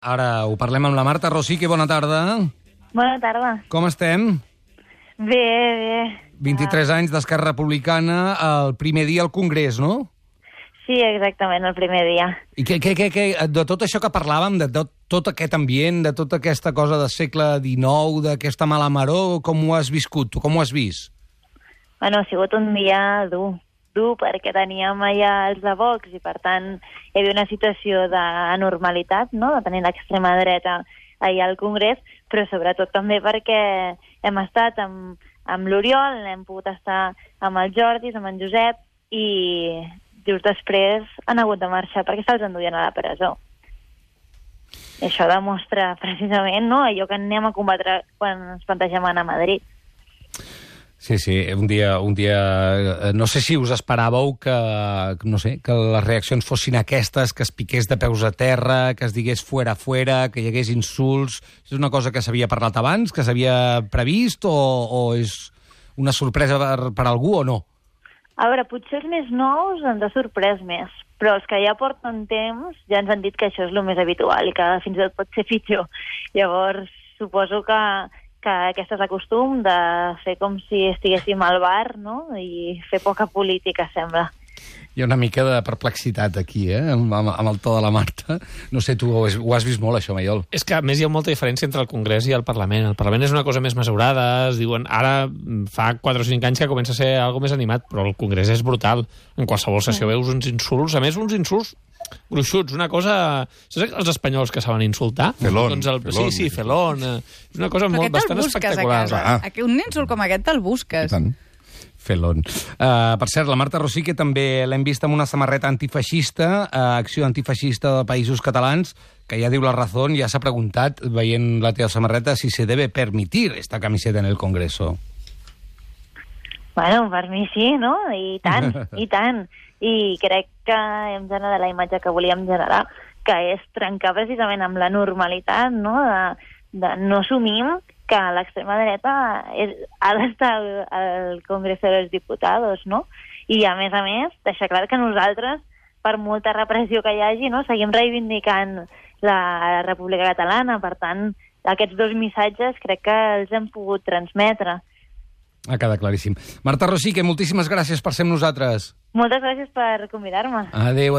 Ara ho parlem amb la Marta Rosique. Bona tarda. Bona tarda. Com estem? Bé, bé. 23 anys d'Esquerra Republicana, el primer dia al Congrés, no? Sí, exactament, el primer dia. I de tot això que parlàvem, de tot aquest ambient, de tota aquesta cosa del segle XIX, d'aquesta mala maror, com ho has viscut? Tu com ho has vist? Bueno, ha sigut un dia dur perquè teníem allà els de Vox i, per tant, hi havia una situació d'anormalitat, no?, de tenir l'extrema dreta allà al Congrés, però sobretot també perquè hem estat amb l'Oriol, hem pogut estar amb el Jordi, amb en Josep, i just després han hagut de marxar perquè se'ls enduien a la presó. I això demostra precisament, no?, allò que anem a combatre quan ens plantegem anar a Madrid. Sí, un dia... No sé si us esperàveu que les reaccions fossin aquestes, que es piqués de peus a terra, que es digués fuera, que hi hagués insults. És una cosa que s'havia parlat abans, que s'havia previst, o és una sorpresa per algú o no? A veure, potser els més nous ens ha sorprès més, però els que ja porten temps ja ens han dit que això és el més habitual i que fins i tot pot ser pitjor. Llavors, suposo que aquest és el costum de fer com si estiguéssim al bar, no?, i fer poca política, sembla. Hi ha una mica de perplexitat aquí, amb el to de la Marta. No sé, tu ho has vist molt, això, Maiol. És que, a més, hi ha molta diferència entre el Congrés i el Parlament. El Parlament és una cosa més mesurada, es diuen... Ara fa 4 o 5 anys que comença a ser algo més animat, però el Congrés és brutal. En qualsevol sessió veus uns insults, a més, uns insults gruixuts, una cosa... Saps els espanyols que saben insultar? Felón. Felón. Sí, felón. És una cosa bastant espectacular. Un insult com aquest te'l busques. I tant. Felón. Per cert, la Marta Rosique també l'hem vist amb una samarreta antifeixista, Acció Antifeixista de Països Catalans, que ja diu la Razón, ja s'ha preguntat, veient la teva samarreta, si se debe permitir esta camiseta en el Congreso. Bueno, per mi sí, no? I tant, i tant. I crec que hem generat la imatge que volíem generar, que és trencar precisament amb la normalitat, no?, de no assumim que l'extrema dreta ha d'estar al Congreso de los Diputados, no? I, a més, deixar clar que nosaltres, per molta repressió que hi hagi, no?, seguim reivindicant la República Catalana. Per tant, aquests dos missatges crec que els hem pogut transmetre. Ha quedat claríssim. Marta Rosique, moltíssimes gràcies per ser amb nosaltres. Moltes gràcies per convidar-me. Adéu.